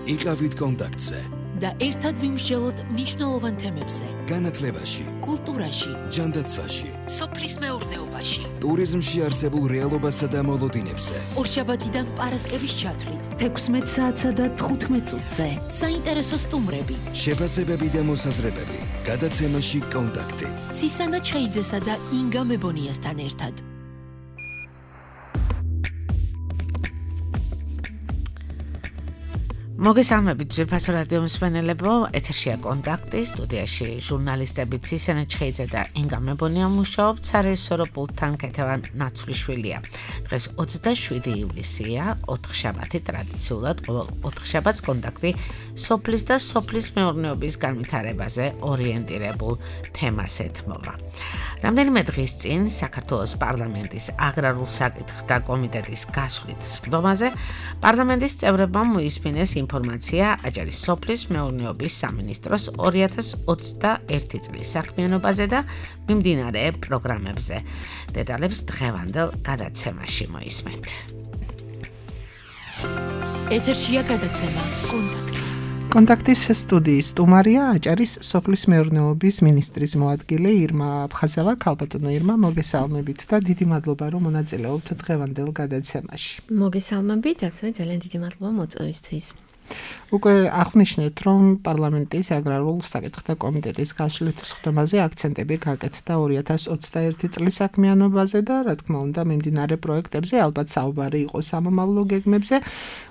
იყავით კონტაქტზე და ერთად ვიმსჯელოთ მნიშვნელოვან თემებზე. განათლებაში, კულტურაში, ჯანდაცვაში, სოფლის მეურნეობაში, ტურიზმში არსებულ რეალობასა და მოლოდინებზე. ორშაბათიდან პარასკევის ჩათვლით, 16 საათსა და 15 წუთზე. საინტერესო სტუმრები, შეფასებები და მოსაზრებები. გადაცემაში კონტაქტი. ცისანა ჩხეიძესა და ინგა მებონიასთან ერთად. მოგესალმებით ძვირფასო რადიო მსმენელებო, ეთერშია კონტაქტი, სტუდიაში ჟურნალისტები ცისანა ჩხეიძე და ინგა მებონია მუშაობთ, სარეჟისორო პულტთან ქეთევან ნაცვლიშვილია. დღეს 27 ივლისია, 4 შაბათი, ტრადიციულად ყოველ 4 შაბათს კონტაქტი სოფლის და სოფლის მეურნეობის განვითარებაზე ორიენტირებულ თემას ეთმობა. რამდენიმე დღის წინ საქართველოს პარლამენტის აგრარულ საკითხთა კომიტეტის გასვლით სხდომაზე პარლამენტის წევრებმა მოისმინეს ინფორმაცია აჭარის სოფლის მეურნეობის სამინისტროს 2021 წლის საქმიანობაზე და მიმდინარე პროგრამებზე. დეტალებს დღევანდელ გადაცემაში მოისმენთ. ეთერშია გადაცემა კონტაქტი. კონტაქტის სტუდიის სტუმარია აჭარის სოფლის მეურნეობის მინისტრის მოადგილე ირმა აფხაზავა. ქალბატონო ირმა, მოგესალმებით და დიდი მადლობა რომ მონაწილეობთ დღევანდელ გადაცემაში. მოგესალმებით, ასევე ძალიან დიდი მადლობა მოწვევისთვის. უკვე აღნიშნეთ, რომ პარლამენტის აგრარულ საკითხთა კომიტეტის გასვლით სხდომაზე აქცენტები გაკეთდა 2021 წლის საქმიანობაზე და რა თქმა უნდა მიმდინარე პროექტებზე, ალბათ საუბარი იყო სამომავლო გეგმებზე,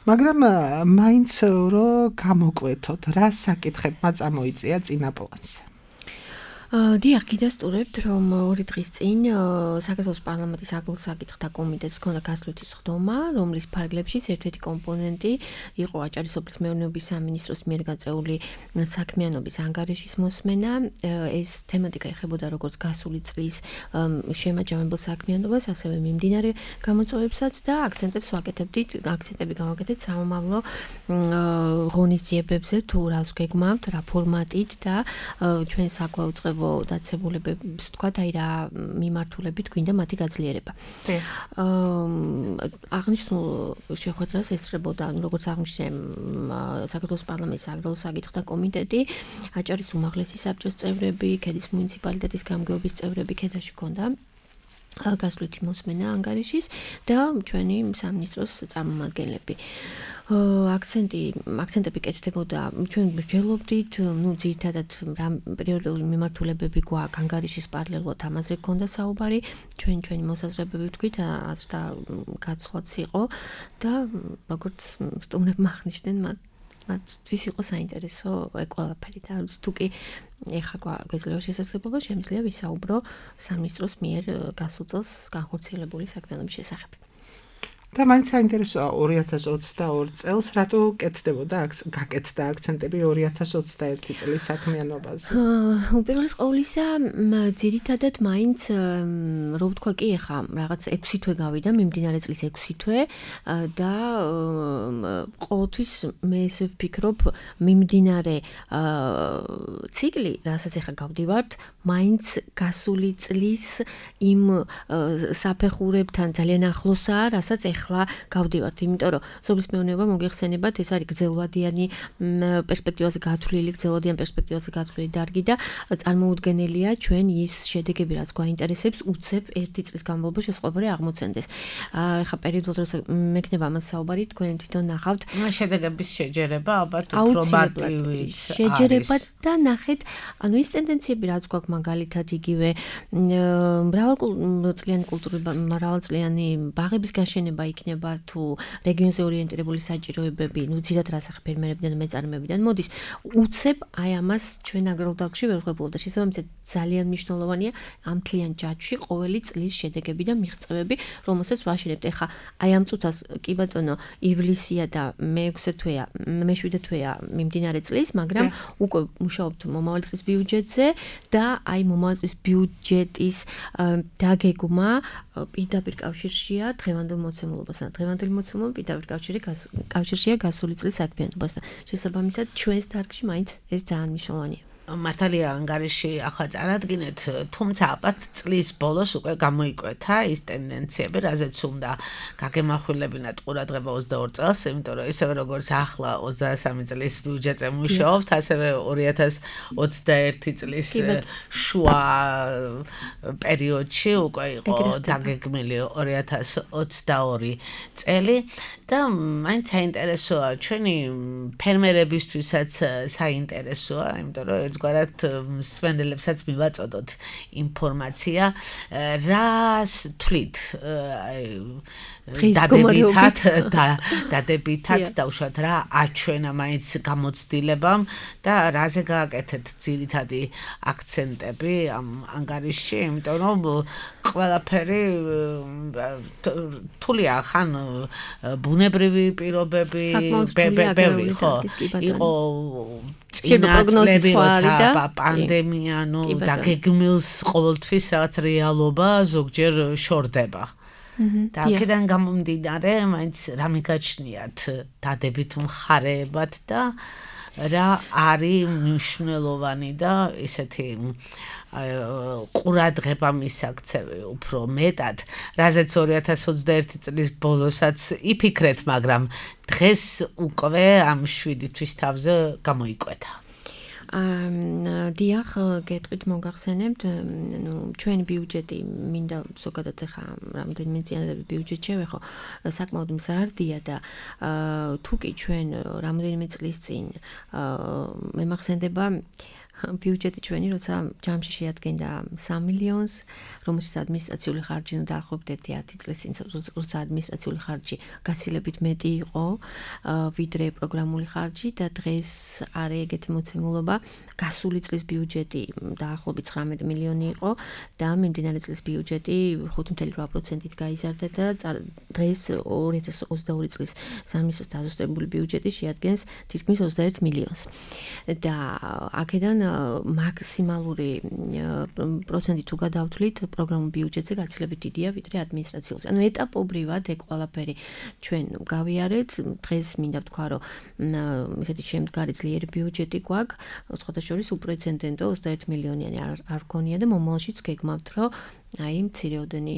მაგრამ მაინც რომ გამოკვეთოთ, რა საკითხებმა წამოიწია წინა პლანზე. დიახ, გიდასტურებთ, რომ 2 დღის წინ საქართველოს პარლამენტის აგრარულ საკითხთა კომიტეტს ჰქონდა გასვლითი სხდომა, რომლის ფარგლებშიც ერთ-ერთი კომპონენტი იყო აჭარის სოფლის მეურნეობის სამინისტროს მიერ გაწეული საქმიანობის ანგარიშის მოსმენა. ეს თემატიკა ეხებოდა როგორც გასული წლის შემაჯამებელ საქმიანობას, ასევე მიმდინარე გამოწვევებსაც და აქცენტები გავაკეთეთ სამომავლო ღონისძიებებზე, თუ რას გეგმავთ, რა ფორმატით და ჩვენ საკვაუწყებო დაცებულებებს თქვათ, აი რა მიმართულებით გვინდა მათი გაძლიერება. აღნიშნულ შეხვედრას ესწრებოდა, როგორც აღნიშნე საქართველოს პარლამენტის აგრარულ საკითხთა კომიტეტი, აჭარის უმაღლესი საბჭოს წევრები, ქედის მუნიციპალიტეტის გამგეობის წევრები, ქედაში ჰქონდა გასვლითი მოსმენა ანგარიშის და ჩვენი სამინისტროს წარმომადგენლები. აქცენტები კეთდებოდა, ჩვენ ვსჯელობდით, ძირითადად რა პრიორიტეტული მიმართულებები გვაქვს ანგარიშის პარალელურად ამაზე გქონდა საუბარი, ჩვენი მოსაზრებები ვთქვით, აზრთა გაცვლაც იყო და როგორც სტუმრებმა აღნიშნნენ, მათთვის იყო საინტერესო ყველაფერი და თუ კი ეხლა გვეძლევა შესაძლებლობა, შემიძლია ვისაუბრო სამინისტროს მიერ გასულ წელს განხორციელებული საქმიანობის შესახებ. და მაინც საინტერესოა 2022 წელს რატო გაკეთდა აქცენტები 2021 წლის საქმიანობაზე? უპირველეს ყოვლისა, ძირითადად მაინც რო ვთქვა კი ეხა რაღაც 6 თვე გავიდა, მიმდინარე წლის 6 თვე და ყოველთვის მე ესე ვფიქრობ, მიმდინარე ციკლი, რასაც ეხა გავდივართ, მაინც გასული წლის იმ საფეხურებთან ძალიან ახლოსაა, რასაც ეხლა გავდივართ, იმიტომ რომ სოფლის მეურნეობა მოგეხსენებათ, ეს არის გრძელვადიანი პერსპექტივაზე გათვლილი დარგი და წარმოუდგენელია ჩვენ ის შედეგები, რაც გვაინტერესებს, უცებ 1 წლის განმავლობაში ეს ყველაფერი აღმოცენდეს. ეხლა პერიოდულად როცა მექნება ამას საუბარი, თქვენ თვითონ ნახავთ, შედეგების შეჯერება ალბათ უფრო მარტივი შეჯერება და ნახეთ, ანუ ის ტენდენციები, რაც გვაქვს მაგალითად იგივე მრავალწლიანი ბაღების გაშენება იქნება თუ რეგიონზე ორიენტირებული საჭიროებები, ძირითადად რასახ ფერმერებიდან და მეწარმეებიდან მოდის, უცებ აი ამას ჩვენ აგრარულ დარგში ვერ ვღებულობ და შესაბამისად ძალიან მნიშვნელოვანია ამ მთლიან ჯაჭვში ყოველი წლის შედეგები და მიღწევები, რომელსაც ვაშენებთ. ეხლა აი ამ წუთას კი ბატონო, ივლისია და მე-7 თვეა მიმდინარე წლის, მაგრამ უკვე მუშაობთ მომავალი წლის ბიუჯეტზე და აი მომავალი წლის ბიუჯეტის დაგეგმა პირდაპირ კავშირშია დღევანდელ მოცემულობასთან. დღევანდელი მოცემულობა პირდაპირ კავშირშია გასული წლის საქმიანობასთან. შესაბამისად ჩვენს დარგში მაინც ეს ძალიან მნიშვნელოვანია. მართალია ანგარიში ახლა წარადგინეთ, თუმცა აბათ წლის ბოლოს უკვე გამოიკვეთა ის ტენდენციები, რაზეც უნდა გაგემახვილებინათ ყურადღება 22 წელს, იმიტომ რომ ისევე როგორც ახლა 23 წლის ბიუჯეტზე მუშაობთ, ასევე 2021 წლის შუა პერიოდში უკვე იყო დაგეგმილი 2022 წელი და მაინც საინტერესოა ჩვენი ფერმერებისთვისაც საინტერესოა, იმიტომ რომ ერთგვარად სვენელებსაც მივაწოდოთ ინფორმაცია, რას თვლით დადებითად და უშუალოდ რა აჩვენა მაინც გამოცდილებამ და რაზე გააკეთეთ ძირითადი აქცენტები ამ ანგარიშში, იმიტომ რომ ყველაფერი თულია ხან ბუნებრივი პირობები ბევრი ხო იყო წინაწლები როცა პანდემია დაგეგმილს ყოველთვის რაღაც რეალობა ზოგჯერ შორდება და აქედან გამომდინარე მაინც რა მიგაჩნიათ დადებით მხარეებად და რა არის მნიშვნელოვანი და ესეთი ყურადღება მისაქცევი უფრო მეტად, რაზეც 2021 წლის ბოლოსაც იფიქრეთ, მაგრამ დღეს უკვე ამ 7 თვის თავზე გამოიკვეთა. დიახ, გეტყვით მოგახსენებთ, ჩვენი ბიუჯეტი მინდა ზოგადად ახლა რამდენიმე წინადადება ბიუჯეტ შევეხო, საკმაოდ მზარდია და თუ კი ჩვენ რამდენიმე წლის წინ მემახსენდება ბიუჯეტი ჩვენი, როცა ჯამში შეადგენდა 3 მილიონს, რომელშიც ადმინისტრაციული ხარჯი დაახლოებით 10 წლის წინ, როცა ადმინისტრაციული ხარჯი გაცილებით მეტი იყო, ვიდრე პროგრამული ხარჯი და დღეს არის ეგეთი მოცემულობა, გასული წლის ბიუჯეტი დაახლოებით 19 მილიონი იყო და მიმდინარე წლის ბიუჯეტი 5.8%-ით გაიზარდა და დღეს 2022 წლის სამინისტროს დაზუსტებული ბიუჯეტი შეადგენს თითქმის 21 მილიონს. და აქედან მაქსიმალური პროცენტი თუ გადავთვლით პროგრამულ ბიუჯეტზე გაცილებით დიდია ვიდრე ადმინისტრაციულზე. ანუ ეტაპობრივად ეგ ყველაფერი ჩვენ გავიარეთ. დღეს მინდა ვთქვა, რომ ესეთი შემდგარი ძლიერი ბიუჯეტი გვაქვს, სხვადასხვა უპრეცედენტო 21 მილიონიანი არ გქონია და მომავალშიც გეგმავთ, რომ აი მცირეოდენი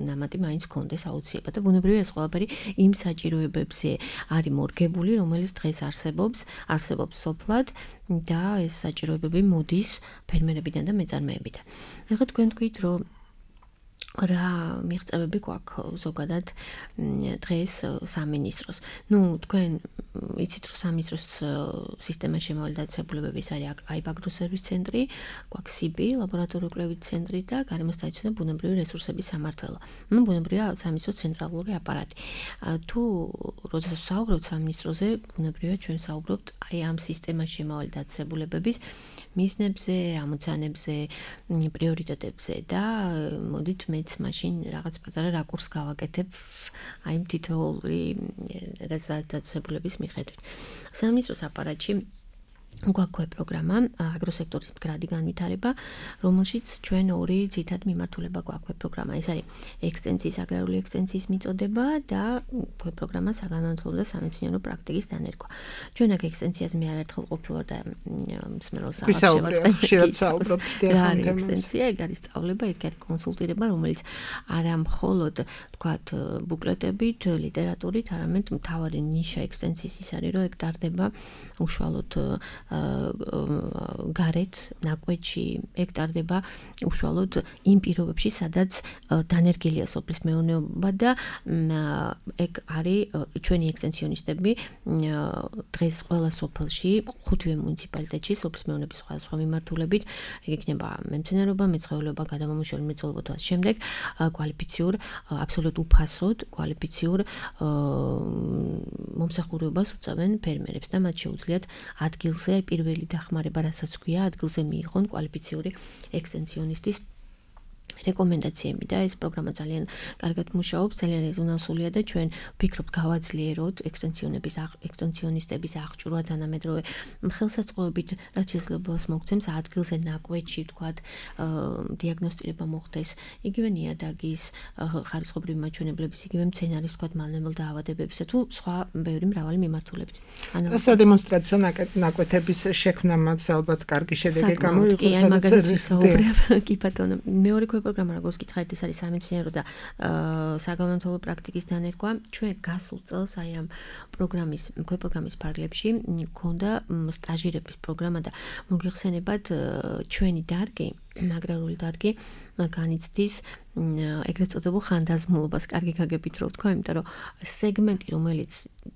ნამატი მაინც გქონდეს აუცილებლად და ბუნებრივია ეს ყველაფერი იმ საჭიროებებზე არის მორგებული, რომელიც დღეს არსებობს სოფლად და ეს საჭიროებები მოდის ფერმერებიდან და მეწარმეებიდან. ეხლა თქვენ თქვით, რომ რა მიღწევები გვაქვს ზოგადად დღეს სამინისტროს. თქვენ იცით, რომ სამინისტროს სისტემაში შემავალი დაწესებულებების არის აიბ აგროსერვის ცენტრი, გვაქვს სიბი, ლაბორატორიული კვლევით ცენტრი და გარემოს დაიცვა და ბუნებრივი რესურსების სამმართველო. ბუნებრივია სამინისტროს ცენტრალური აპარატი. თუ როდესაც საუბრობთ სამინისტროზე, ბუნებრივია ჩვენ საუბრობთ აი ამ სისტემაში შემავალი დაწესებულებების მიზნებზე, ამოცანებზე, პრიორიტეტებზე და მოდით მეც მაშინ რაღაც პატარა რაკურს გავაკეთებ აი ამ თითოეული დაწესებულების მიხედვით. სამინისტროს აპარატში გვაქვს პროგრამა აგროსექტორის მდგრადი განვითარება, რომელშიც ჩვენ ორი ძირითადი მიმართულება გვაქვს პროგრამა. ეს არის ექსტენსიის, აგრარული ექსტენსიის მიწოდება და პროგრამა საგანმანათლებლო და სამეცნიერო პრაქტიკის დანერგვა. ჩვენ აქ ექსტენსიას მე არაერთხელ ყოფილვარ და მსმენელს საუბრობთ რა არის ექსტენსია, ეგ არის სწავლება, ეგ არის კონსულტირება, რომელიც არა მხოლოდ თქვათ ბუკლეტებით, ლიტერატურით, არამედ მთავარი ნიშა ექსტენსიის ის არის, რომ ეგ ტარდება უშუალოდ გარეთ ნაკვეთში ეგ ტარდება უშუალოდ იმ პირობებში, სადაც დანერგილია სოფლის მეურნეობა და ეგ არის ჩვენი ექსტენსიონისტები დღეს ყველა სოფელში, 5 მუნიციპალიტეტში სოფლის მეურნეობის სხვადასხვა მიმართულებით, ეგ იქნება მემცენარეობა, მეცხოველეობა, გადამამუშავებელი მრეწველობა და შემდეგ კვალიფიციურ, აბსოლუტ უფასოდ კვალიფიციურ მომსახურებას უწევენ ფერმერებს და მათ შეუძლიათ ადგილზე პირველი დახმარება, რასაც ქვია, ადგილზე მიიღონ კვალიფიციური ექსტენსიონისტის რეკომენდაციები და ეს პროგრამა ძალიან კარგად მუშაობს, ძალიან რეზონანსულია და ჩვენ ვფიქრობთ გავაძლიეროთ ექსტენსიონისტების აღჭურვა თანამედროვე ხელსაწყოებით, რაც შესაძლებლობას მოგცემს ადგილზე ნაკვეთში, ვთქვათ, დიაგნოსტირება მოხდეს, იგივე ნიადაგის ხარისხობრივი მაჩვენებლების, იგივე მცენარის, ვთქვათ, მალნებელ დაავადებებისა თუ სხვა ბევრი მრავალი მიმართულებით. სადემონსტრაციო ნაკვეთების შექმნამაც ალბათ კარგი შედეგი გამოიღო. კი, აი მაგაზეც ვისაუბრებ. კი ბატონო, მეორე პროგრამა როგორც გითხარით, ეს არის სამეცნიერო და საგამომთვალო პრაქტიკის დანერგვა. ჩვენ გასულ წელს აი ამ პროგრამის ფარგლებში მქონდა სტაჟირების პროგრამა და მოგიხსენებათ ჩვენი დარგი, აგრარული დარგი განიცდის ეგრეთ წოდებულ ხანდაზმულობას, კარგი გაგებით რო ვთქვა, იმიტომ რომ სეგმენტი, რომელიც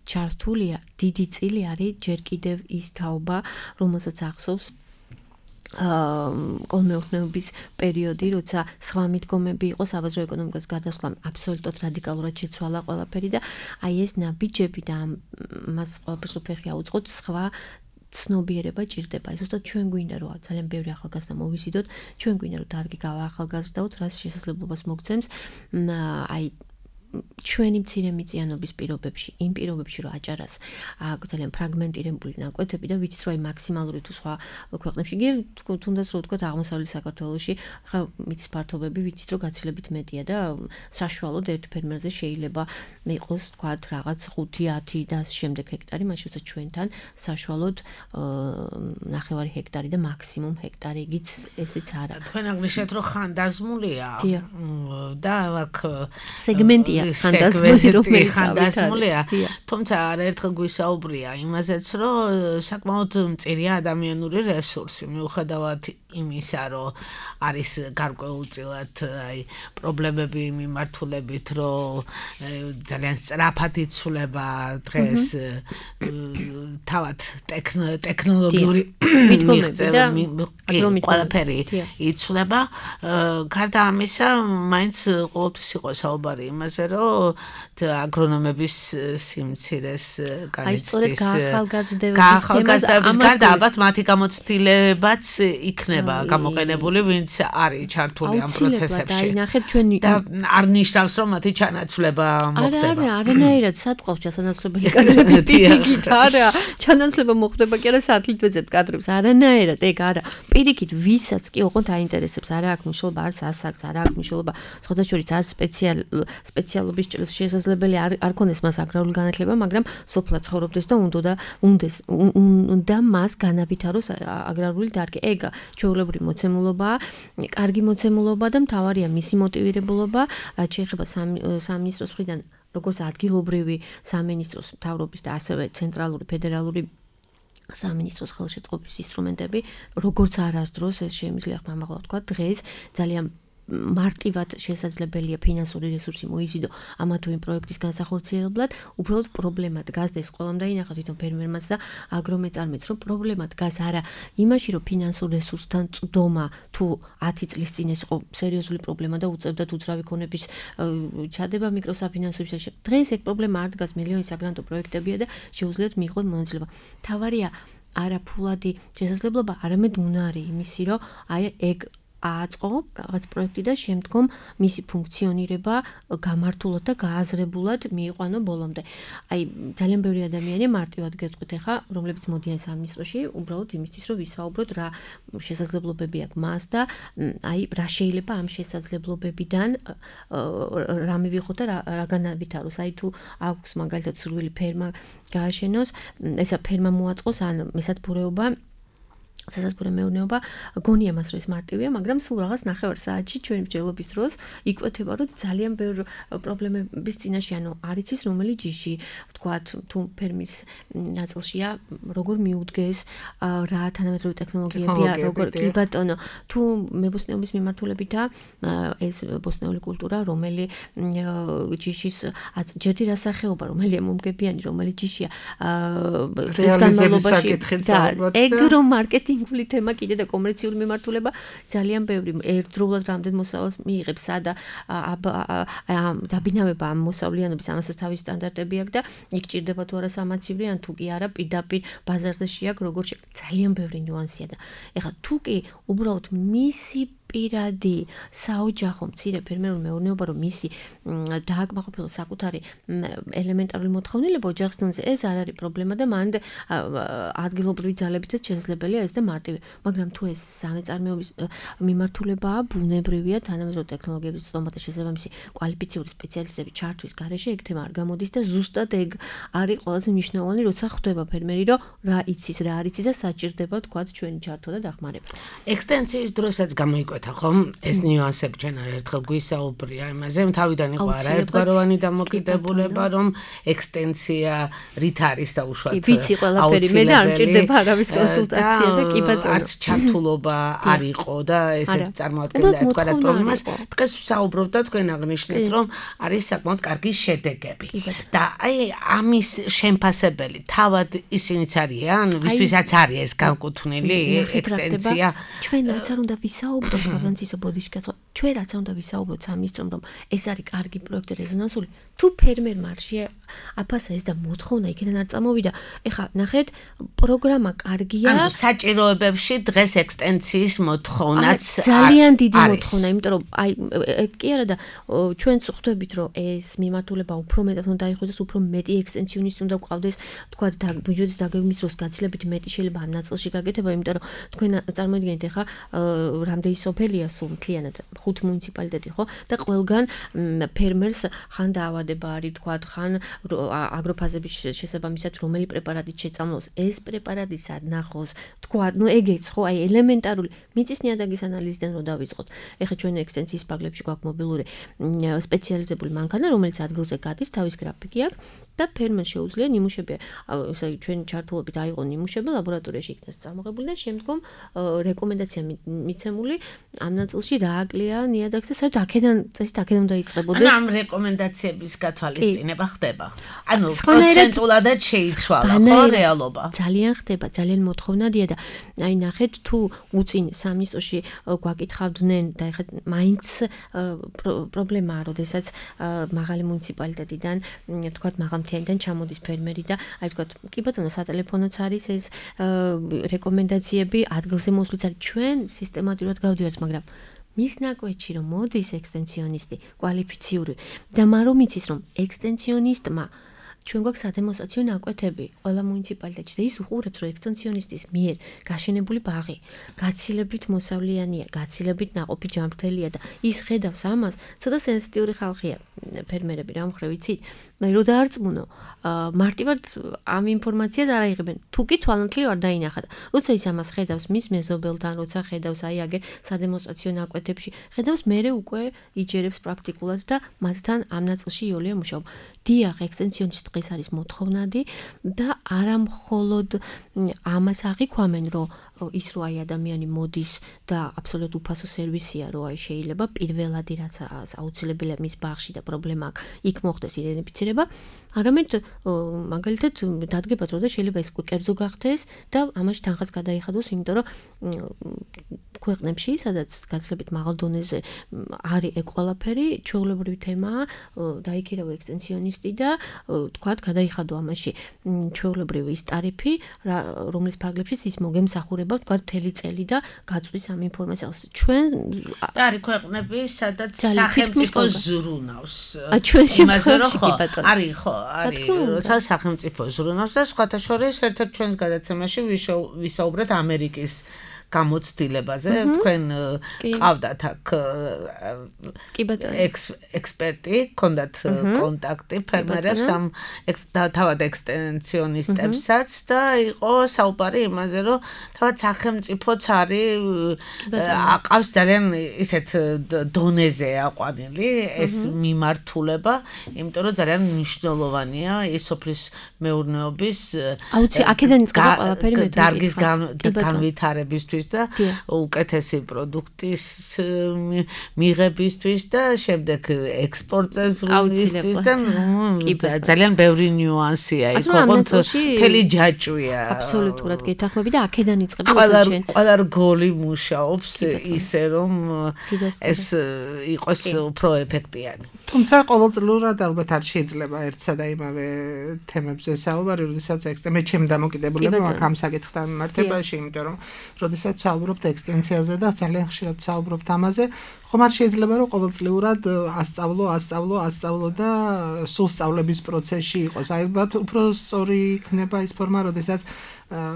ჩართულია, დიდი წილი არის ჯერ კიდევ ის თაობა, რომელსაც ახსოვს კოლმეურნეობის პერიოდი, როცა სხვა მიდგომები იყო საბაზრო ეკონომიკას გადასვლამ აბსოლუტურად რადიკალურად შეცვალა ყველაფერი და აი ეს ნაბიჯები და მას ყველაფერს უფეხი აუწყოთ სხვა ცნობიერება ჭირდება. ეს უბრალოდ ჩვენ გვინდა რომ ძალიან ბევრი ახალგაზრდა მოვიზიდოთ, ჩვენ გვინდა რომ დარგი გავაახალგაზრდაოთ, რაც შესაძლებლობას მოგცემს აი ჩვენი მცირე მიწიანობის პირობებში, იმ პირობებში რომ აჭარას აქვს ძალიან ფრაგმენტირებული ნაკვეთები და ვიცით რომ აი მაქსიმალური თუ სხვა ქვეყნებში, თუნდაც რო ვთქვათ აღმოსავლეთ საქართველოში, ხა მიწის ფართობები ვიცით რომ გაცილებით მეტია და საშუალოდ ერთ ფერმერზე შეიძლება იყოს ვთქვათ რაღაც 5-10 და ამ შემდეგ ჰექტარი, მას შეუძლია ჩვენთან საშუალოდ 9 ჰექტარი და მაქსიმუმ ჰექტარი იგიც ესეც არა. თქვენ აღნიშნეთ რომ ხანდაზმულია და აქ სეგმენტია ხანდაზმულია, თუმცა არაერთხელ გვისაუბრია იმაზეც, რომ საკმაოდ მწირია ადამიანური რესურსი, მიუხედავად იმისა, რომ არის გარკვეულწილად აი პრობლემები მიმართულებით, რომ ძალიან სწრაფად იცვლება დღეს თავად ტექნოლოგიური მიღწევები ყველაფერი იცვლება. გარდა ამისა, მაინც ყოველთვის იყო საუბარი იმაზე, რომ აგრონომების სიმცირეს განიცდის ახალგაზრდების გარდა ალბათ მათი გამოცდილებაც იქნება გამოყენებული, ვინც არის ჩართული ამ პროცესებში. და არ ნიშნავს, რომ მათი ჩანაცვლება მოხდება. არანაირად სათყავს ჩასანაცვლებელი კადრები პირიქით, არა, ჩანაცვლება მოხდება კი არა სათლით ვეძებთ კადრებს, არანაირად, ეგ არა. პირიქით ვისაც კი ოღონდ აინტერესებს, არა აქვს მნიშვნელობა, არც ასაკს, არა აქვს მნიშვნელობა, სხვადასხვა არც სპეციალობის ჭრილს შესაძლებელი არ ქონდეს მას აგრარული განათლება, მაგრამ სოფლად ცხოვრობდეს და უნდა მას განავითაროს აგრარული დარგი. ეგ ჩვეულებრივი მოცემულობაა, კარგი მოცემულობა და მთავარია მისი მოტივირებულობა, რაც შეეხება სამინისტროს მხრიდან, როგორც ადგილობრივი სამინისტროს მთავრობის და ასევე ცენტრალური ფედერალური სამინისტროს ხელშეწყობის ინსტრუმენტები, როგორც არასდროს ეს შემიძლია ხმამაღლა ვთქვა, დღეს ძალიან მარტივად შესაძლებელია ფინანსური რესურსი მოიზიდო ამა თუ იმ პროექტის განსახორციელებლად, უბრალოდ პრობლემა დგას და ეს ყველამ დაინახა თვითონ ფერმერმაც და აგრომეწარმეც, რომ პრობლემა დგას არა იმაში, რომ ფინანსურ რესურსთან წვდომა თუ 10 წლის წინ ეს იყო სერიოზული პრობლემა და უწევდათ უძრავი ქონების ჩადება მიკროსაფინანსო შეშ. დღეს ეგ პრობლემა არ დგას, მილიონი საგრანტო პროექტებია და შეუძლიათ მიიღოთ მონაწილეობა. თავარია არა ფულადი შესაძლებლობა, არამედ უნარი იმისი, რომ აი ეგ აწყო რაღაც პროექტი და შემდგომ მისი ფუნქციონირება გამართულად და გააზრებულად მიიყვანო ბოლომდე. აი ძალიან ბევრი ადამიანი მარტივად გეტყვით ახლა, რომლებიც მოდიან სამინისტროში, უბრალოდ იმისთვის, რომ ვისაუბროთ რა შესაძლებლობები აქვს მას და აი რა შეიძლება ამ შესაძლებლობებიდან რა მივიღოთ და რა განავითაროს. აი თუ აქვს მაგალითად სურვილი ფერმა გააშენოს, ესა ფერმა მოაწყოს ან მესათბურეობა სასათბურე მეურნეობა, გონია მას რომ ეს მარტივია, მაგრამ სულ რაღაც 9 საათში ჩვენი მსჯელობის დროს იკვეთება, რომ ძალიან ბევრი პრობლემების წინაშე, ანუ არ იცის რომელი ჯიში, ვთქვათ, თუ ფერმის ნაწილშია, როგორ მიუდგეს, რა თანამედროვე ტექნოლოგიებია, როგორ კი ბატონო, თუ მებოსტნეობის მიმართულებითა ეს ბოსტნეული კულტურა, რომელი ჯიშის ჯერდი რა სახეობა, რომელია მომგებიანი, რომელი ჯიშია, დღეს განმავლობაში და ეგ რომ მარკეტინგ ინგლისური თემა კიდე და კომერციული მიმართულება ძალიან ბევრი ერთდროულად რამდენ მოსავალს მიიღებს, სადა დაბინავება ამ მოსავლიანობის ამასაც თავის სტანდარტები აქვს და იქ ჭირდება თუ არა სამაცივრი ან თუ კი არა პირდაპირ ბაზარზე შეაქვს, როგორ ძალიან ბევრი ნიუანსია და ეხლა თუ კი უბრალოდ მისი პირადი საოჯახო მცირე ფერმერული მეურნეობა რომ მისი დააკმაყოფილოს საკუთარი ელემენტარული მოთხოვნილება ოჯახის დონეზე ეს არ არის პრობლემა და მანდ ადგილობრივი ძალებითაც შესაძლებელია ეს და მარტივი მაგრამ თუ ეს სამეწარმეობის მიმართულებაა ბუნებრივია თანამედროვე ტექნოლოგიების ზრდომათა შესაბამისი კვალიფიციური სპეციალისტები ჩართვის გარეშე ეგ თემა არ გამოდის და ზუსტად ეგ არის ყველაზე მნიშვნელოვანი როცა ხვდება ფერმერი რომ რა იცის რა არ იცის და საჭირდება თქვათ ჩვენი ჩართვა და დახმარება ექსტენსიის დროსაც გამოიკვეთა ხომ ეს ნიუანსები ჩვენ ერთხელ გვისაუბრია იმაზე თავიდან იყო არაერთგვაროვანი დამოკიდებულება რომ ექსტენსია რით არის და უშუალოდ ვიცი ყველაფერი მე და არ მჭირდება არავის კონსულტაცია და კი ბატონო არც ჩართულობა არ იყო და ესე წარმოადგენდა თქვათ პრობლემას დღეს ვსაუბრობთ და თქვენ აღნიშნეთ რომ არის საკმაოდ კარგი შედეგები და აი ამის შემფასებელი თავად ისინიც არიან ვისთვისაც არის ეს განკუთვნილი ექსტენსია ჩვენ რაც არ უნდა ვისაუბროთ გავანცისო ბოდიშკაცო ჩვენ რაც არ უნდა ვისაუბროთ სამისტრომ რომ ეს არის კარგი პროექტი რეზონანსული თუ ფერმერმა არ აფასა ეს და მოთხოვნა იქიდან არ წამოვიდა ეხა ნახეთ პროგრამა კარგია ანუ საჭიროებებში დღეს ექსტენსიის მოთხოვნაც ძალიან დიდი მოთხოვნა იმიტომ რომ აი კი არა და ჩვენც ხვდებით რომ ეს მიმართულება უფრო მეტად უნდა დაიხვეწოს უფრო მეტი ექსტენსიონისტი უნდა გვყავდეს თქვა ბიუჯეტის დაგეგმვის დროს გაცილებით მეტი შეიძლება ამ ნაწილში გაკეთება იმიტომ რომ თქვენ წარმოიდგინეთ ეხა რამდენი სოფელია სულ მთლიანად 5 მუნიციპალიტეტი ხო და ყველგან ფერმერს ხან დაავადება არის თქვა ხან აგროფაზების შესაბამისად რომელი პრეპარატით შეწამლოს ეს პრეპარატი სად ნახოს თქვა ნუ ეგეც ხო აი ელემენტარული მიწის ნიადაგის ანალიზიდან რო დავიწყოთ ეხლა ჩვენ ექსტენსიის პაგლებში გვაქვს მობილური სპეციალიზებული მანქანა რომელიც ადგილზე გადის თავის გრაფიკი აქვს და ფერმერს შეუძლია ნიმუშები ესე იგი ჩვენ ჩართულობით აიღო ნიმუშები ლაბორატორიაში იქნას წარმოებული და შემდგომ რეკომენდაცია მიცემული ამ ნაწილში რა აკლია ნიადაგს და საერთოდ აქედან წესით აქედან უნდა იწყებოდეს ამ რეკომენდაციების გათვალისწინება ხდება ანუ პროცენტულადაც შეიცვალა ხო რეალობა ძალიან ხდება ძალიან მოთხოვნადია და აი ნახეთ თუ უწინ სამინისტროში გვაკითხავდნენ და ეხლა მაინც პრობლემაა როდესაც მაღალი მუნიციპალიტეტიდან თქვათ მაღალმთიანიდან ჩამოდის ფერმერი და აი თქვათ კი ბატონო სატელეფონოც არის ეს რეკომენდაციები ადგილზე მოსვლიც არის ჩვენ სისტემატურად გავდივართ მაგრამ მის ნაკვეთში რომ მოდის ექსტენსიონისტი კვალიფიციური და მარომ იცის რომ ექსტენსიონისტმა ჩვენ გვაქვს სადემონსტრაციო ნაკვეთები ყველა მუნიციპალიტეტში და ის უყურებს რომ ექსტენსიონისტის მიერ გაშენებული ბაღი გაცილებით მოსავლიანია გაცილებით ნაყოფი ჯანმრთელია და ის ხედავს ამას ცოტა სენსიტიური ხალხია ფერმერები რა მხრივ იცით მე რო დაარწმუნო მარტივად ამ ინფორმაციას არ აიღებენ თუ კი თვალნათლივ არ დაინახა და როცა ის ამას ხედავს მის მეზობელთან როცა ხედავს აი აგერ სადემონსტრაციო ნაკვეთებში ხედავს მერე უკვე იჯერებს პრაქტიკულად და მათთან ამ ნაწილში იოლია მუშაობა დიახ ექსტენსიონისტ დღეს არის მოთხოვნადი და არა მხოლოდ ამას აღიქვამენ რომ ის რო აი ადამიანი მოდის და აბსოლუტურად უფასო სერვისია რო აი შეიძლება პირველადი რაც აუცილებელია მის ბაღში და პრობლემა აქვს იქ მოხდეს იდენტიფიცირება არამედ მაგალითად დადგებათ რომ და შეიძლება ეს კერძო გახდეს და ამაში თანხაც გადაიხადოს იმიტომ რომ ქვეყნებში სადაც გაცილებით მაღალ დონეზე არის ეგ ყველაფერი ჩვეულებრივი თემაა დაიქირავა ექსტენსიონისტი და თქვათ გადაიხადო ამაში ჩვეულებრივი ის ტარიფი რომლის ფარგლებშიც ის მოგემსახურება თქვათ მთელი წელი და გაწვის ამ ინფორმაციას ჩვენ არის ქვეყნები სადაც სახელმწიფო ზრუნავს ჩვენ შემთხვევაში კი ბატონო არის ხო არის როცა სახელმწიფო ზრუნავს და სხვათა შორის ერთ-ერთ ჩვენს გადაცემაში ვისაუბრეთ ამერიკის გამოცდილებაზე თქვენ ყავდათ აქ ექსპერტი კონდათ კონტაქტი ფერმერებს ამ თავად ექსტენსიონისტებსაც და იყო საუბარი იმაზე რომ თავად სახელმწიფოც არის აყავს ძალიან ისეთ დონეზე აყვანილი ეს მიმართულება იმიტომ რომ ძალიან მნიშვნელოვანია ის სოფლის მეურნეობის აუცი აქედან იწყება ყველაფერი მე დარგის განვითარებისთვის და უკეთესი პროდუქტის მიღებისთვის და შემდეგ ექსპორტზე ზრუნვისთვის და ძალიან ბევრი ნიუანსია იქ ოღონდ მთელი ჯაჭვია აბსოლუტურად გეთანხმები და აქედან იწყება ყველა რგოლი მუშაობს ისე რომ ეს იყოს უფრო ეფექტიანი თუმცა ყოველწლიურად ალბათ არ შეიძლება ერთსა და იმავე თემებზე საუბარი როდესაც მე ჩემი დამოკიდებულება მაქვს ამ საკითხთან მიმართებაში იმიტომ რომ როდესაც როდესაც საუბრობთ ექსტენციაზე და ძალიან ხშირად საუბრობთ ამაზე, ხომ არ შეიძლება რომ ყოველწლიურად ასწავლო და სულ სწავლების პროცესში იყოს. აი უფრო სწორი იქნება ის ფორმა, როდესაც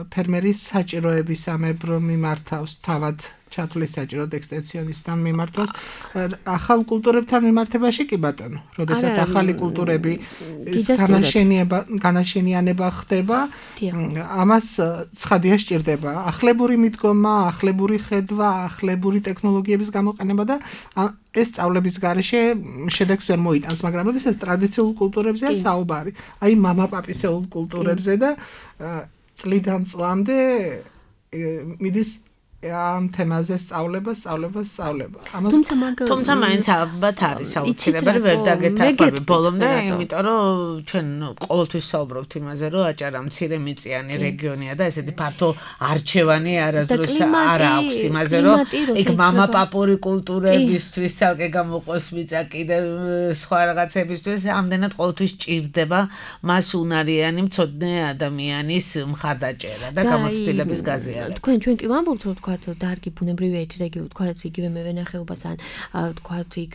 ფერმერის საჭიროებისამებრ მიმართავს თავად ჩათვლის საჭიროდ ექსტენსიონისტთან მიმართვას ახალ კულტურებთან მიმართებაში კი ბატონო, როდესაც ახალი კულტურები განაშენიანება ხდება, ამას ცხადია სჭირდება ახლებური მიდგომა, ახლებური ხედვა, ახლებური ტექნოლოგიების გამოყენება და ეს სწავლების გარეშე შედეგს ვერ მოიტანს, მაგრამ როდესაც ტრადიციულ კულტურებზეა საუბარი, აი მამაპაპისეულ კულტურებზე და წლიდან წლამდე მიდის ამ თემაზე სწავლება. თუმცა მაინც ალბათ არის აუცილებელი ვერ დაგეთანხმები ბოლომდე, იმიტომ რომ ჩვენ ყოველთვის საუბრობთ იმაზე, რომ აჭარა მცირე მიწიანი რეგიონია და ესეთი ფართო არჩევანი არასდროს არ აქვს იმაზე, რომ იქ მამაპაპური კულტურებისთვის ცალკე გამოყოს მიწა კიდევ სხვა რაღაცებისთვის, ამდენად ყოველთვის ჭირდება მას უნარიანი მცოდნე ადამიანის მხარდაჭერა და გამოცდილების გაზიარება. ჩვენ კი ვამბობთ, რომ დარგი ბუნებრივია ეთიკა, თქვათ იგივე მევენახეობას ან თქვათ იქ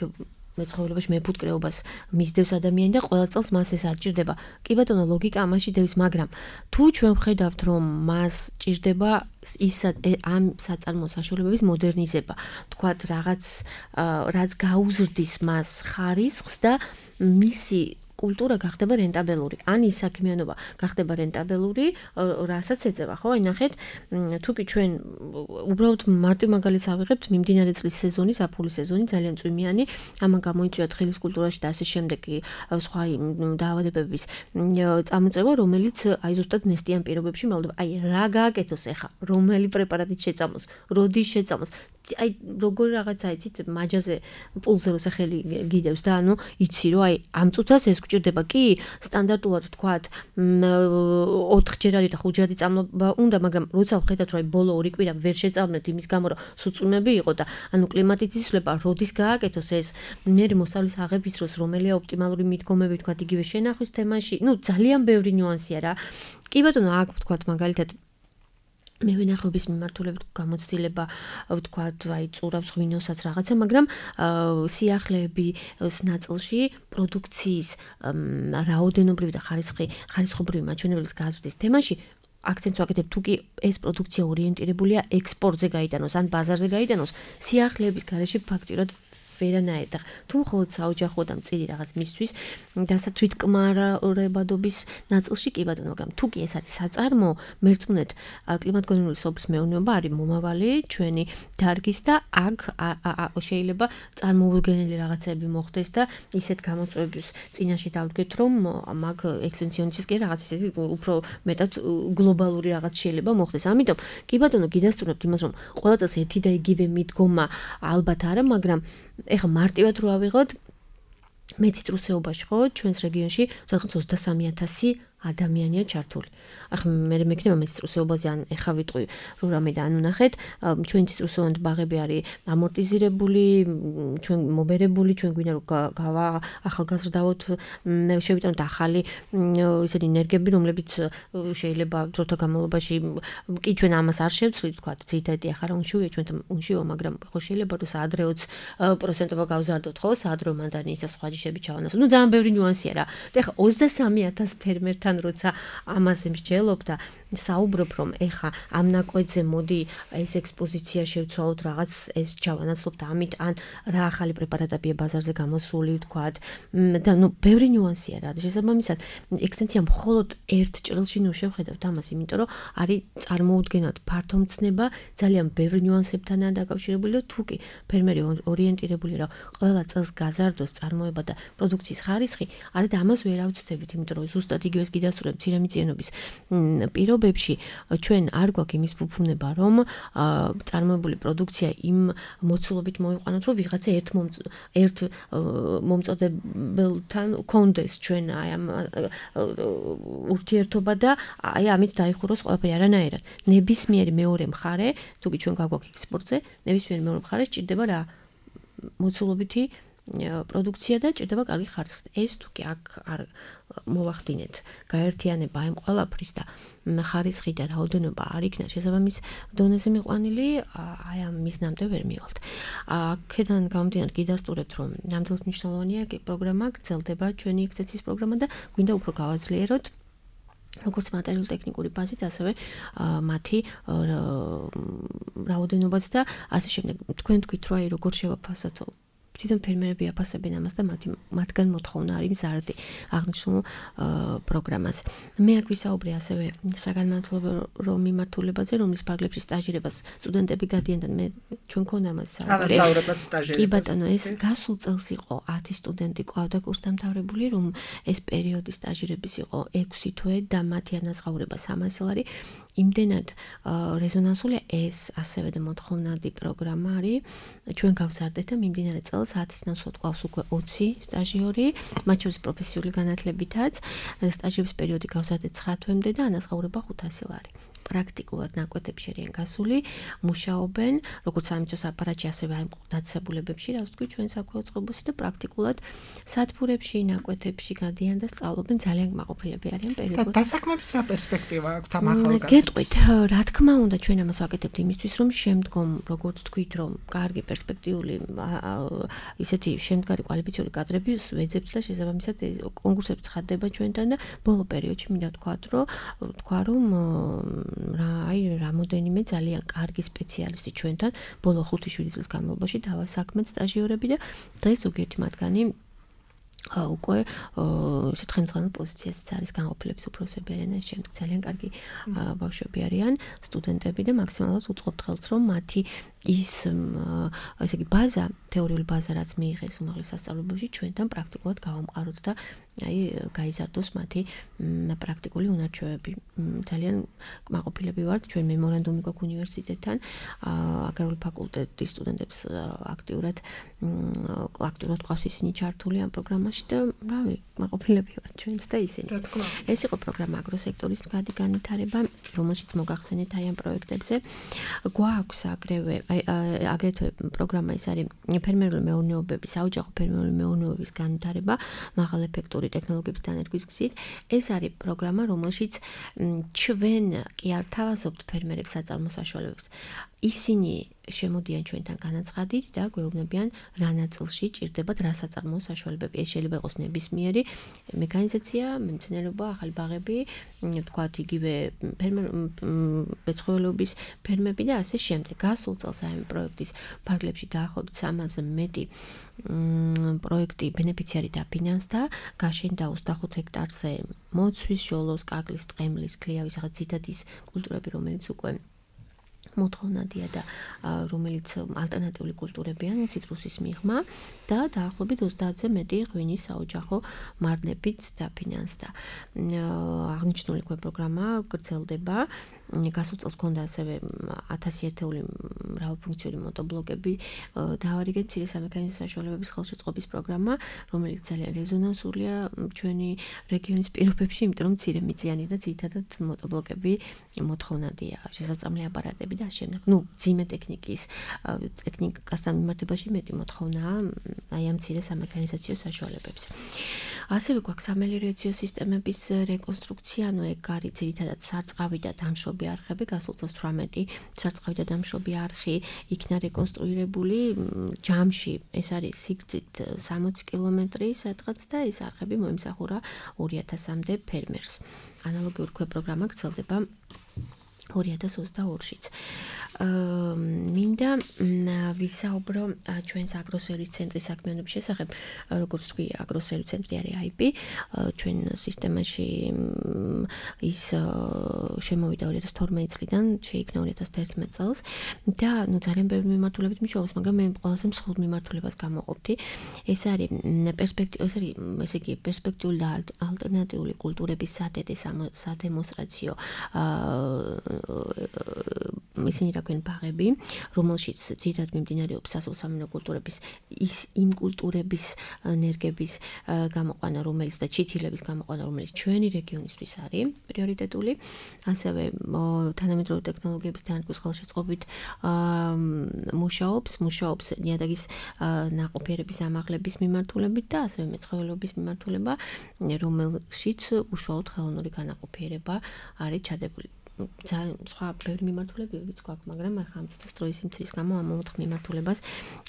მეცხოველობაში მეფუტკრეობას მისდევს ადამიანი და ყველა წელს მას ეს არ ჭირდება. კი ბატონო, ლოგიკა ამაში დევს, მაგრამ თუ ჩვენ ვხედავთ, რომ მას ჭირდება ამ საწარმო საშუალებების მოდერნიზება, თქვათ რაც გაუზრდის მას ხარისხს და მისი კულტურა გახდება რენტაბელური. ან ის საქმიანობა გახდება რენტაბელური, რასაც ეწევა, ხო? აი ნახეთ, თუკი ჩვენ უბრალოდ მარტივ მაგალითს ავიღებთ, მიმდინარე წლის სეზონი, საფულის სეზონი ძალიან წვიმიანი, ამან გამოიწვია თხილის კულტურაში და ასე შემდეგი სხვა დაავადებების წამოწევა, რომელიც აი ზუსტად ნესტიან პირობებში მალდება. აი რა გააკეთოს ახლა? რომელი პრეპარატით შეწამოს? როდის შეწამოს? აი როგორი რაღაცა იცით, მაჯაზე პულზე როცა ხელი გიდევს და ანუ იცი რომ აი ამ წუთას ეს გჭირდება კი სტანდარტულად თქვათ 4ჯერადი და 5ჯერადი წამლობა უნდა, მაგრამ როცა ვხედავთ რომ აი ბოლო 2 კვირა ვერ შეწამნეთ იმის გამო რომ სუწვიმები იყო და ანუ კლიმატით იცვლება, როდის გააკეთოს ეს მე მოსავლის აღების დროს რომელია ოპტიმალური მიდგომები თქვათ იგივე შენახვის თემაში, ну ძალიან ბევრი ნიუანსია რა. კი ბატონო, აქ თქვათ მაგალითად მევენახეობის მიმართულებით გამოცდილება ვთქვათ, აი წურავს ღვინოსაც რაღაცა, მაგრამ სიახლეების ნაწილში პროდუქციის რაოდენობრივი და ხარისხობრივი მაჩვენებლის გაზრდის თემაში აქცენტს ვაკეთებ, თუ კი ეს პროდუქცია ორიენტირებულია ექსპორტზე გაიტანოს ან ბაზარზე გაიტანოს, სიახლეების გარეშე ფაქტიურად ვერანაირ და თუ მხოლოდ საოჯახო და მწირი რაღაც მისთვის თვითკმარებადობის ნაწილში კი ბატონო, მაგრამ თუ კი ეს არის საწარმო, მერწმუნეთ კლიმატგონივრული სოფლის მეურნეობა არის მომავალი ჩვენი დარგის და აქ შეიძლება წარმოუდგენელი რაღაცები მოხდეს და ისეთ გამოწვევების წინაშე დავდგეთ, რომ მაგ ექსტენსიონის კი რაღაც ისეთი უფრო მეტად გლობალური რაღაც შეიძლება მოხდეს. ამიტომ კი ბატონო, გიდასტურებთ იმას, რომ ყველა წელს ერთი და იგივე მიდგომა ალბათ არა, მაგრამ ეხა მარტივად რო ავიღოთ მეციტრუსეობაში ხო ჩვენს რეგიონში 23,000 ადამიანია ჩართული. ახლა მე მექნება მეციტრუსეობაზე ან ეხა ვიტყვი რომ რამე და ანუ ნახეთ, ჩვენი ციტრუსოვანი ბაღები არის ამორტიზირებული, ჩვენ მობერებული, ჩვენ გვინდა რომ ახალგაზრდავოთ, შევიტანოთ ახალი ისეთი ენერგიები, რომლებიც შეიძლება დროთა განმავლობაში კი ჩვენ ამას არ შევცვლით, თქვა ძირითადად ახლა რა უნშივია ჩვენთან უნშიო, მაგრამ ხო შეიძლება რომ საადრეოც პროცენტობა გავზარდოთ, ხო, საადრეო მანდარინის და სხვა ჯიშები ჩავანასო. ну ძალიან ბევრი ნიუანსია რა. და ახლა 23,000 ფერმერთან როცა ამაზე მსჯელობ და საუბრობ, რომ ეხა ამ ნაკვეთზე მოდი ეს ექსპოზიცია შევცვალოთ, რაღაც ეს ჩავანაცვლოთ ამით, ან რა ახალი პრეპარატებია ბაზარზე გამოსული, ვთქვათ, და ну ბევრი ნიუანსია რა. შესაბამისად, ექსტენსია მხოლოდ ერთ ჭრილში ნუ შევხედავთ ამას, იმიტომ რომ არის წარმოუდგენლად ფართო მცნება, ძალიან ბევრი ნიუანსებთანაა დაკავშირებული და თუ კი ფერმერი ორიენტირებულია, რომ ყველა წელს გაზარდოს წარმოება და პროდუქციის ხარისხი, არით ამას ვერ ავწდებით, იმიტომ რომ ზუსტად იგივეს გიდასტურებთ მცირემიწიანობის პირობებში ჩვენ არ გვაქვს იმის ფუფუნება, რომ წარმოებული პროდუქცია იმ მოცულობით მოიყვანოთ, რომ ვიღაცა ერთ მომწოდებელთან კონდეს ჩვენ აი ამ ურთიერთობა და აი ამით დაიხუროს ყველაფერი არანაირად. ნებისმიერი მეორე მხარე, თუ კი ჩვენ გაგვაქვს ექსპორტზე, ნებისმიერი მეორე მხარე სჭირდება რა? მოცულობითი პროდუქცია და ჭირდება კარგი ხარისხი. ეს თუ კი აქ არ მოვახდინეთ გაერთიანება იმ ყველაფრის და ხარისხი და რაოდენობა არ იქნა შესაბამის დონეზე მიყვანილი, აი ამ მიზნამდე ვერ მივალთ. აქედან გამომდინარე გიდასტურებთ, რომ ნამდვილად მნიშვნელოვანია პროგრამა, გრძელდება ჩვენი ექცესიის პროგრამა და გვინდა უფრო გავაძლიეროთ როგორც მატერიალურ-ტექნიკური ბაზით, ასევე მათი რაოდენობაც და ასე შემდეგ. თქვენ თქვით, რომ აი როგორ შევაფასოთ თვითონ ფერმერები აფასებენ ამას და მათგან მოთხოვნა არის მზარდი აღნიშნულ პროგრამას. მე აქ ვისაუბრე ასევე საგანმანათლებლო მიმართულებაზე, რომლის ფარგლებში სტაჟირებას სტუდენტები გადიენდნენ. ჩვენ მქონდა ამას ანასტაურებად სტაჟირებას. კი ბატონო, ეს გასულ წელს იყო 10 სტუდენტი ყავდა კურსდამთავრებული, რომ ეს პერიოდი სტაჟირების იყო 6 თვე და მათი ანაზღაურება 300 ლარი. იმდენად რეზონანსულია ეს ასევე და მოთხოვნადი პროგრამა არის. ჩვენ გავზარდეთ და მიმდინარე წელს 10-ის ნაცვლად გვყავს უკვე 20 სტაჟიორი, მათ შორის პროფესიული განათლებითაც. სტაჟების პერიოდი გავზარდეთ 9 თვემდე და ანაზღაურება 500 ლარი. პრაქტიკულად ნაკვეთებში არიან გასული, მუშაობენ, როგორც სამიწოს აპარატში, ასევე აი დაწესებულებებში, რაც თქვი ჩვენ საქმე უწყებოსი და პრაქტიკულად სათბურებში, ნაკვეთებში გადიან და სწავლობენ, ძალიან კმაყოფილები არიან პერიოდულად. და დასაქმების რა პერსპექტივა აქვს ამ ახალგაზრდებს? გეტყვით, რა თქმა უნდა, ჩვენ ამას ვაკეთებთ იმისთვის, რომ შემდგომ, როგორც თქვით, რომ კარგი პერსპექტიული ისეთი შემდგარი კვალიფიციური კადრები ვეძებთ და შესაბამისად კონკურსები ცხადდება ჩვენთან და ბოლო პერიოდში მინდა თქვა რომ რამოდენიმე ძალიან კარგი სპეციალისტი ჩვენთან ბოლო 5-7 წლის განმავლობაში დავასაქმეთ სტაჟიორები და დღეს ზოგიერთი მათგანი უკვე ისეთ ხელმძღვანელ პოზიციაზეც არის განყოფილების უფროსები არიან ეს შემდეგ ძალიან კარგი ბავშვები არიან სტუდენტები და მაქსიმალურად უწყობთ ხელს რომ მათი ის ესე იგი ბაზა თეორიული ბაზა რაც მიიღეს უმაღლეს სასწავლებელში ჩვენთან პრაქტიკულად გავამყაროთ და აი გაიზარდოს მათი პრაქტიკული უნარჩვევები ძალიან კმაყოფილები ვართ ჩვენ მემორანდუმი გვაქვს უნივერსიტეტთან აგრარული ფაკულტეტის სტუდენტებს აქტიურად ყავს ისინი ჩართული ამ პროგრამაში და რავი კმაყოფილები ვართ ჩვენც და ისინიც ეს იყო პროგრამა აგროსექტორის მდგრადი განვითარება რომელშიც მოგახსენეთ აი ამ პროექტებზე გვაქვს აგრეთვე პროგრამა ის არის ფერმერული მეურნეობების საოჯახო ფერმერული მეურნეობების განვითარება მაღალ ეფექტური ტექნოლოგიების დანერგვის გზით ეს არის პროგრამა რომელშიც ჩვენ კი არ თავაზობთ ფერმერებს საწარმო საშუალებებს ისინი შემოდიან ჩვენთან განაცხადით და გვეუბნებიან რა ნაწილში ჭირდებათ რა საწარმო საშუალებები ეს შეიძლება იყოს ნებისმიერი მექანიზაცია მემცენარეობა ახალი ბაღები თქვათ იგივე მეცხოველეობის ფერმები და ასე შემდეგ გასულ წელს ამ პროექტის ფარგლებში დაახლოებით 300-ზე მეტი პროექტი ბენეფიციარი დაფინანსდა გაშენდა 25 ჰექტარზე მოცვის ჟოლოს კაკლის ტყემლის ქლიავის რაღაც ძითადის კულტურები რომელიც უკვე მოთხოვნადია და რომელიც ალტერნატიული კულტურებიან ციტრუსის მიღმა და დაახლოებით 30-ზე მეტი ღვინის საოჯახო მარნებით დაფინანსდა. აღნიშნული პროგრამა გრძელდება. გასულ წელს ჰქონდა ასევე 1000 ერთეული მრავალფუნქციური მოტორბლოკები დავარიგეთ მცირე სამექანიზო საშუალებების ხელშეწყობის პროგრამა, რომელიც ძალიან რეზონანსულია ჩვენი რეგიონის პირობებში, იმიტომ რომ მცირე მიწიანი და ძირითადად მოტორბლოკები მოთხოვნადია, შესაძლებელი აპარატები და შემდეგ. ძიმე ტექნიკასთან მიმართებაში მეტი მოთხოვნაა აი ამ მცირე სამექანიზაციო საშუალებებზე. ასევე გვაქვს სამელიორაციო სისტემების რეკონსტრუქცია, ანუ ეგ არის ძირითადად სარწყავი და დამშობი არხები, გასულ წელს 18 სარწყავი და დამშობი არხი იქნა რეკონსტრუირებული ჯამში, ეს არის სიგრძით 60 კილომეტრი სადღაც და ეს არხები მოემსახურა 2000-მდე ფერმერს. ანალოგიური პროგრამა გრძელდება 2022-შიც. მინდა ვისაუბრო ჩვენს აგროსერვის ცენტრის საქმიანობის შესახებ, როგორც თქვი, აგროსერვის ცენტრი არის IP, ჩვენ სისტემაში ის შემოვიდა 2012 წლიდან, შეიქმნა 2011 წელს და ძალიან ბევრი მიმართულებით მუშაობს, მაგრამ მე ყველაზე მსხვილ მიმართულებას გამოყოფდი. ეს არის პერსპექტიული და ალტერნატიული კულტურების სადედე სადემონსტრაციო ისინი რა ქვენ ბაღები, რომელშიც ძირითადად მიმდინარეობს სასოფლო-სამეურნეო კულტურების იმ კულტურების ენერგების გამოყვანა, რომელიც და ჩითილების გამოყვანა, რომელიც ჩვენი რეგიონისთვის არის პრიორიტეტული, ასევე თანამედროვე ტექნოლოგიების დანერგვის ხელშეწყობით მუშაობს ნიადაგის ნაყოფიერების ამაღლების მიმართულებით და ასევე მეცხოველეობის მიმართულება, რომელშიც უშუალოდ ხელოვნური განაყოფიერება არის ჩადებული. ძალიან სხვა ბევრი მიმართულებებიც გვაქვს, მაგრამ ახლა ამ წუთის დროის სიმცირის გამო ამ 4 მიმართულებას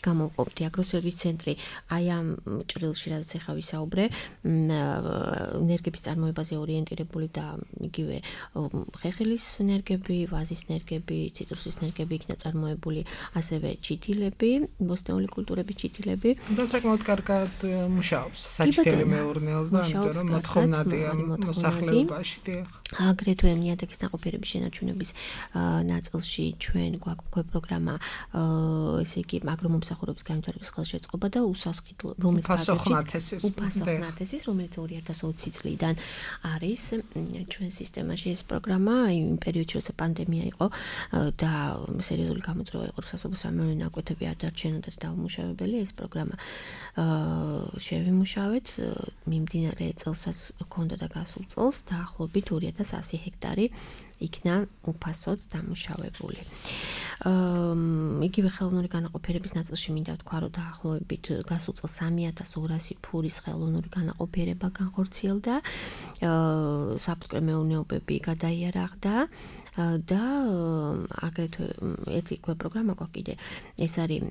გამოვყოფთ. აგროსერვის ცენტრი აი ამ ჭრილში, რაც ახლა ვისაუბრე, ენერგების წარმოებაზე ორიენტირებული და იგივე ხეხილის ენერგები, ვაზის ენერგები, ციტრუსის ენერგები იქნა წარმოებული, ასევე ჩითილები, ბოსტნეული კულტურების ჩითილები. და საკმაოდ კარგად მუშაობს საჩქერი მეურნეობა, იმიტომ რომ მოთხოვნადია მოსახლეობაში. აგრეთვე ნიადაგის ნაყოფიერების შენარჩუნების ნაწილში ჩვენ გვაქვს პროგრამა, ესე იგი აგრომომსახურების განვითარების ხელშეწყობა და უსასყიდლო, რომელიც უფასოხნათესის, რომელიც 2020 წლიდან არის ჩვენ სისტემაში ეს პროგრამა, იმ პერიოდში, როცა პანდემია იყო და სერიოზული გამოწვევა იყო, სასოფლო-სამეურნეო ნაკვეთები არ დარჩენოდათ დაუმუშავებელი, ეს პროგრამა შევიმუშავეთ, მიმდინარე წელსაც ჰქონდა და გასულ წელს დაახლოებით 2100 ჰექტარი იქნა უფასოდ დამუშავებული. იგივე ხელოვნური განაყოფიერების ნაწილში მინდა ვთქვა, რომ დაახლოებით გასულ წელს 3200 ფურის ხელოვნური განაყოფიერება განხორციელდა, საფუტკრე მეურნეობები გადაიარაღდა და აგრეთვე ერთი პროგრამა გვაქვს კიდე, ეს არის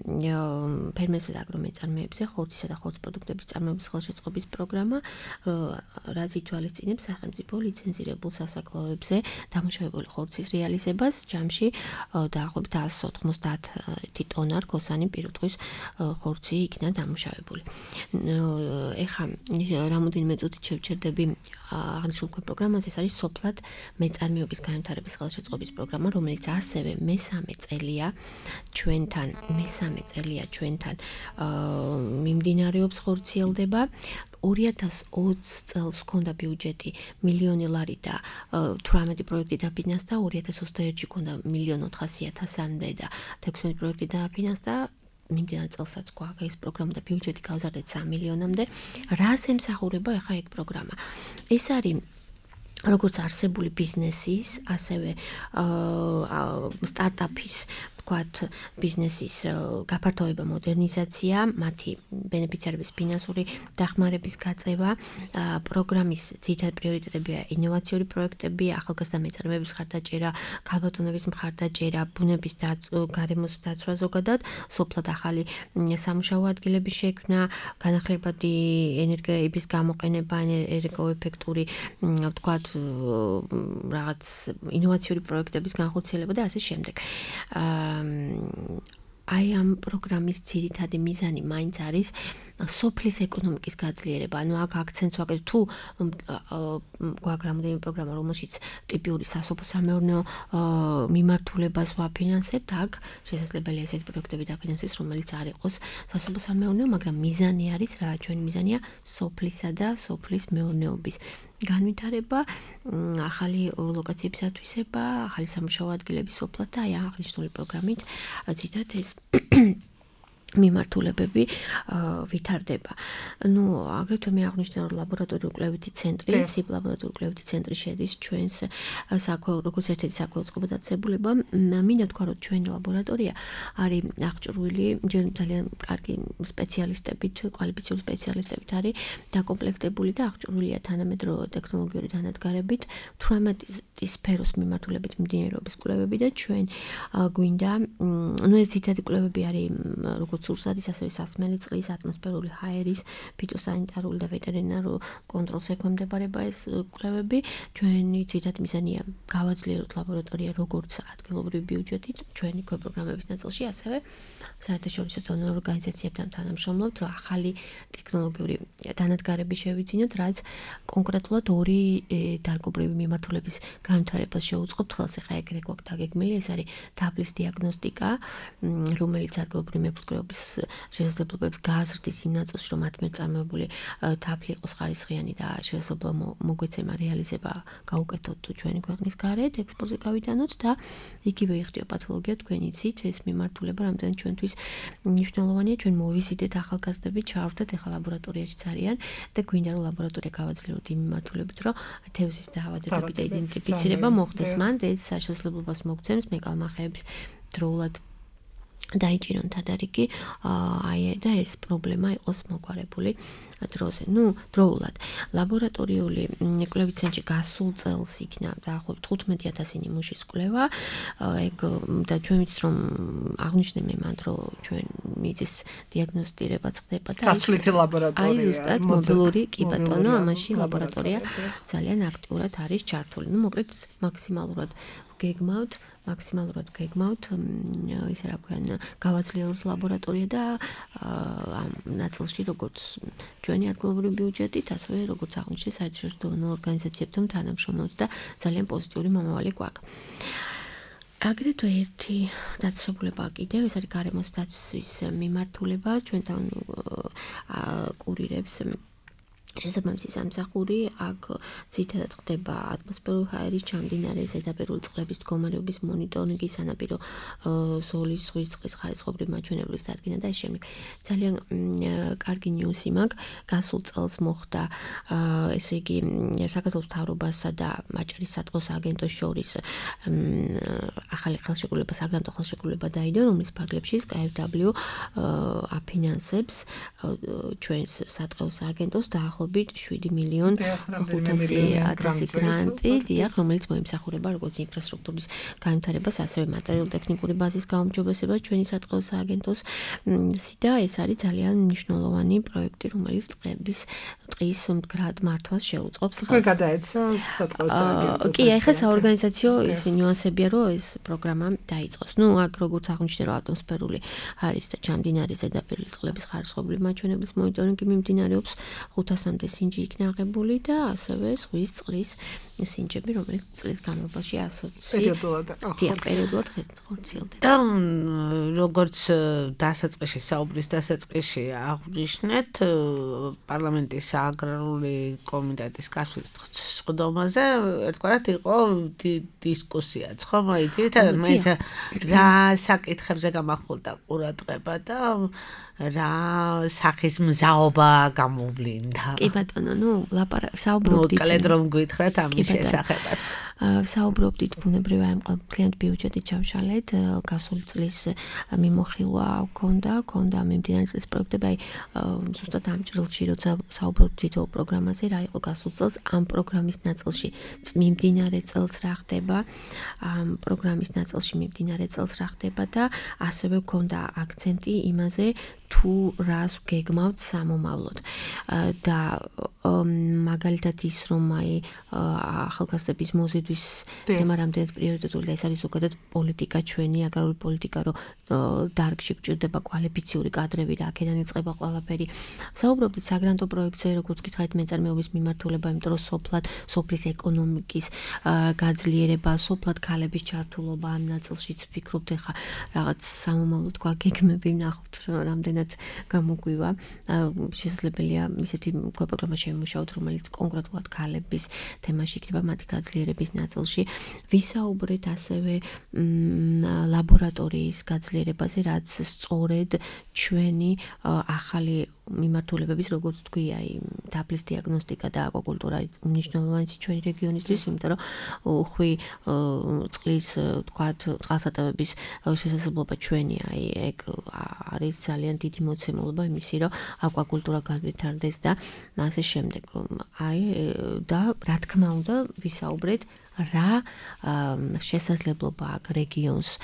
ფერმერთა და აგრომეწარმეებზე ხორცისა და ხორცის პროდუქტების წარმოების ხელშეწყობის პროგრამა, რაც ითვალისწინებს სახელმწიფო ლიცენზირებულ სასაკლოებზე დამუშავებული ხორცის რეალიზებას ჯამში დაახლოებით 190 ტონა რქოსანი პირუტყვის ხორცი იქნა დამუშავებული. ეხლა რამოდენიმე წუთით შევჩერდები აღნიშნულ პროგრამაზე, ეს არის სოფლად მეწარმეობის განვითარების ხელშეწყობის პროგრამა, რომელიც ასევე მესამე წელია ჩვენთან მიმდინარეობს, ხორციელდება. 2020 წელს ჰქონდა ბიუჯეტი $1,000,000 და 18 პროექტი დაფინანსდა, 2021-ში ჰქონდა $1,400,000-მდე და 16 პროექტი დაფინანსდა. მიმდინარე წელსაც გვაქვს ეს პროგრამა და ბიუჯეტი გავზარდეთ $3 მილიონამდე. რას ემსახურება ახლა ეგ პროგრამა? ეს არის როგორც არსებული ბიზნესის, ასევე სტარტაპის ვთქვათ, ბიზნესის გაფართოება, მოდერნიზაცია, მათი ბენეფიციარების ფინანსური დახმარების გაწევა, პროგრამის ძირითადი პრიორიტეტებია ინოვაციური პროექტები, ახალგაზრდა მეწარმეების მხარდაჭერა, ქალბატონების მხარდაჭერა, ბუნების გარემოს დაცვა ზოგადად, სოფლად ახალი სამუშაო ადგილების შექმნა, განახლებადი ენერგიების გამოყენება, ენერგოეფექტური, ვთქვათ, რაღაც ინოვაციური პროექტების განხორციელება და ასე შემდეგ. აი ამ პროგრამის ძირითადი მიზანი მაინც არის სოფლის ეკონომიკის გაძლიერება. ანუ აქ აქცენტს ვაკეთებ, თუ გვაქვს რამოდენიმე პროგრამა, რომელშიც ტიპიური სასოფლო-სამეურნეო მიმართულებას ვაფინანსებთ, აქ შესაძლებელია ესეთი პროექტები დაფინანსდეს, რომელიც არ იყოს სასოფლო-სამეურნეო, მაგრამ მიზანი არის რა? ჩვენი მიზანია სოფლისა და სოფლის მეურნეობის განვითარება, ახალი ლოკაციების ათვისება, ახალი სამუშაო ადგილების სოფლად და აი აღნიშნული პროგრამით ძირითადად ეს მიმართულებები ვითარდება. ნუ აგრეთვე მე აღნიშნე, რომ ლაბორატორიული კვლევითი ცენტრი, SIP ლაბორატორიული კვლევითი ცენტრი შედის ჩვენს როგორც ერთ-ერთი საკვირაცხელო დაწესებულება. მინდა ვთქვა, რომ ჩვენი ლაბორატორია არის აღჭურვილი ძალიან კარგი სპეციალისტებით, კვალიფიციური სპეციალისტებით არის დაკომპლექტებული და აღჭურვილია თანამედროვე ტექნოლოგიური დანადგარებით, 18 სფეროს მიმართულებით მიმდინარეობს კვლევები და ჩვენ გვინდა, ნუ ეს ძირითადი კვლევები არის როგორც სურსათის, ასევე სასმელი წყლის, ატმოსფერული ჰაერის, ფიტოსანიტარული და ვეტერინარულ კონტროლს ექვემდებარება ეს კვლევები. ჩვენი ძირითადი მიზანია გავაძლიეროთ ლაბორატორია როგორც ადგილობრივი ბიუჯეტით, ჩვენი პროგრამების ნაწილში, ასევე საერთაშორისო დონორ ორგანიზაციებთან თანამშრომლობთ, რომ ახალი ტექნოლოგიური დანადგარები შევიძინოთ, რაც კონკრეტულად ორი დარგობრივი მიმართულების განვითარებას შეუწყობთ ხელს. ახლა ეგრე გვაქვს დაგეგმილი, ეს არის თაბლის დიაგნოსტიკა, რომელიც ადგილობრივი მეფუტკრეობის ლაბორატორიის შესაძლებლობებს გააზრდის იმ ნაწილში, რომ მათ მიერ წარმოებული თაფლი იყოს ხარისხიანი და შესაძლებლობა მოგვეცემა რეალიზება გაუკეთოთ ჩვენი ქვეყნის გარეთ, ექსპორტზე გავიტანოთ და იგივე იხდიო პათოლოგია თქვენი იცით, ეს მიმართულება რამდენად ჩვენთვის მნიშვნელოვანია, ჩვენ მოვიზიდეთ ახალგაზრდები, ჩავარდეთ ახლა ლაბორატორიაში ძალიან და გვინდა რომ ლაბორატორია გავაძლიეროთ იმ მიმართულებით, რომ თევზის დაავადებები და იდენტიფიცირება მოხდეს მან და ეს საშუალებას მოგცემს მეკალმახეების დროულად დაიჭირონ თადარიგი და ეს პრობლემა იყოს მოგვარებული დროზე. დროულად. ლაბორატორიული კვლევით ცენტრში გასულ წელს იქნა დაახლოებით 15,000 ნიმუშის კვლევა. ეგ და ჩვენ ვიცით რომ აღნიშნე მან რომ ჩვენ მიწის დიაგნოსტირება ხდება და გასვლითი ლაბორატორია. აი ზუსტად მობილური კი ბატონო, ამაში ლაბორატორია ძალიან აქტიურად არის ჩართული. მოკლედ მაქსიმალურად გეგმავთ ისე რა ქვია, გავაძლიეროთ ლაბორატორია და ამ ნაწილში როგორც ჩვენი ადგილობრივი ბიუჯეტით, ასევე როგორც აღნიშნე საერთაშორისო ორგანიზაციებთან თანამშრომლობთ და ძალიან პოზიტიური მომავალი გვაქვს. აგრეთვე ერთი დაწესებულება კიდევ, ეს არის გარემოს დაცვის მიმართულება, ჩვენთან კურირებს შესაბამისი სამსახური, აქ ძირითადად ხდება ატმოსფერული ჰაერის ჩამდინარე ზედაპირული წყლების მდგომარეობის მონიტორინგი, სანაპირო ზოლის ზღვის წყლის ხარისხობრივი მაჩვენებლის დადგენა და ამ შემდეგ. ძალიან კარგი ნიუსი მაქვს, გასულ წელს მოხდა ესე იგი საქართველოს მთავრობასა და მაჭრის სატყოს აგენტოს შორის ახალი ხელშეკრულება, საგრანტო ხელშეკრულება დაიდო, რომლის ფარგლებში KfW აფინანსებს ჩვენს სატყეოს აგენტოს და 7,500,000 გრანტი, რომელიც მოიმსახურება როგორც ინფრასტრუქტურის განვითარებას, ასევე მატერიალურ-ტექნიკური ბაზის გაუმჯობესებას ჩვენი სატყეოს აგენტოს და ეს არის ძალიან მნიშვნელოვანი პროექტი, რომელიც ტყის მდგრად მართვას შეუწყობს. ხო, გადაეცა სატყეოს აგენტოს. კი, ახლა საორგანიზაციო ის ნიუანსებია, რომ ეს პროგრამა დაიწყოს. აქ როგორც აღნიშნე, რომ ატმოსფერული ჰაერის და ჩამდინარე ზედაპირული წყლების ხარისხობრივი მაჩვენებლის მონიტორინგი მიმდინარეობს 500-მდე სინჯი იქნა აღებული და ასევე ზღვის წყლის სინჯები, რომელიც წლის განმავლობაში 120 პერიოდულად ხორციელდება. და როგორც დასაწყისში, საუბრის დასაწყისში აღნიშნეთ, პარლამენტის აგრარული კომიტეტის გასვლის სხდომაზე ერთგვარად იყო დისკუსიაც, ხო? ძირითადად მაინც რა საკითხებზე გამახვილდა ყურადღება და რა სახის მზაობა გამოვლინდა. კი ბატონო, საუბრობდით. მოკლედ რომ გითხრათ ამის შესახებაც. საუბრობდით ბუნებრივი აი მთლიანად ბიუჯეტი ჩავშალეთ, გასული წლის მიმოხილვა ქონდა მიმდინარე წლის პროექტები, აი ზუსტად ამ ჭრილში როცა საუბრობთ თითოეულ პროგრამაზე, რა იყო გასულ წელს, ამ პროგრამის ნაწილში მიმდინარე წელს რა ხდება, ამ პროგრამის ნაწილში მიმდინარე წელს რა ხდება და ასევე ქონდა აქცენტი იმაზე, თუ რას გეგმავთ სამომავლოდ და მაგალითად ის რომ აი ახალგაზრდების მოზიდვის თემა რამდენად პრიორიტეტული და ეს არის ზოგადად პოლიტიკა ჩვენი აგრარული პოლიტიკა რომ დარგში გჭირდება კვალიფიციური კადრები და აქედან იწყება ყველაფერი. საუბრობდით საგრანტო პროექტზე, როგორც გითხარით მეწარმეობის მიმართულება, იმიტომ რომ სოფლის ეკონომიკის გაძლიერება, სოფლად ქალების ჩართულობა ამ ნაწილშიც ვფიქრობთ ახლა რაღაც სამომავლოდ გვაგეგმები ვნახოთ რამდენად გამოგვივა. შესაძლებელია ისეთი პროგრამა შემოშავთ, რომელიც კონკრეტულად ქალების თემაში იქნება მათი გაძლიერების ნაწილში. ვისაუბრეთ ასევე ლაბორატორიის გაძლიერებაზე, რაც სწორედ ჩვენი ახალი მიმართულებების, როგორც თქვი, აი თაფლის დიაგნოსტიკა და აკვაკულტურა არის მნიშვნელოვანი ჩვენი რეგიონისთვის, იმიტომ რომ უხვი წყლის, თქვათ, წყალსატევების შესაძლებლობა ჩვენი, აი ეგ არის ძალიან დიდი მოცემულობა იმისი, რომ აკვაკულტურა განვითარდეს და ასე შემდეგ. აი და რა თქმა უნდა, ვისაუბრეთ რა შესაძლებლობა აქვს რეგიონის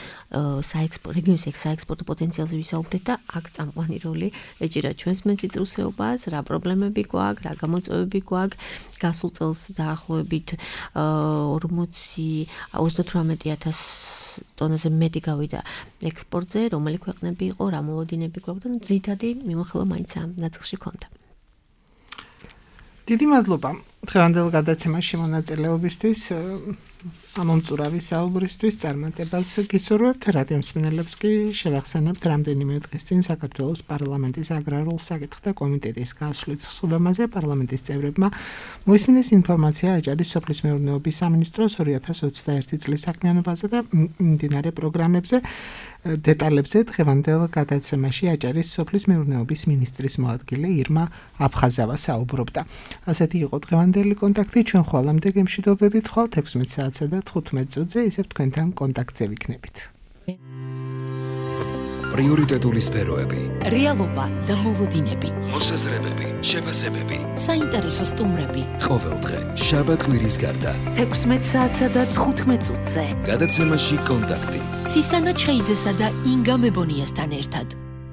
საექსპორტო პოტენციალზე ვისაუბრეთ და აქ წამყვანი როლი ეჭირა ჩვენს მეციწრუსეობას, რა პრობლემები გვაქვს, რა გამოწვევები გვაქვს. გასულ წელს დაახლოებით 38,000 ტონაზე მეტი გავიდა ექსპორტზე, რომელი ქვეყნები იყო, რა მოლოდინები გვაქვს და ძირითადი მიმოხილვა მაინც ამ ნაწილში ქონდა. დიდი მადლობა. დღევანდელ გადაცემაში მონაწილეობისთვის ამომწურავი საუბრისთვის წარმატებას გისურვებთ. რადიო მსმენელებს კი შევახსენებთ რამდენიმე დღის წინ საქართველოს პარლამენტის აგრარულ საკითხთა კომიტეტის გასვლით სხდომაზე პარლამენტის წევრებმა მოისმინეს ინფორმაცია აჭარის სოფლის მეურნეობის სამინისტროს 2021 წლის საქმიანობაზე და მიმდინარე პროგრამებზე. დეტალებზე დღევანდელ გადაცემაში აჭარის სოფლის მეურნეობის მინისტრის მოადგილე ირმა აფხაზავა საუბრობდა. ასეთი იყო დღევანდელი კონტაქტი. ჩვენ ხვალამდე გემშვიდობებით ხვალთ 16 საათსა და 15 წუთზე, ისევ თქვენთან კონტაქტზე ვიქნებით. პრიორიტეტული სფეროები, რეალობა და მოლოდინები, მოსაზრებები, შეფასებები, საინტერესო სტუმრები. ყოველდღე, შაბათ-კვირის გარდა. 16 საათსა და 15 წუთზე. გადაცემაში კონტაქტი. ცისანა ჩხეიძესა და ინგა მებონიასთან ერთად.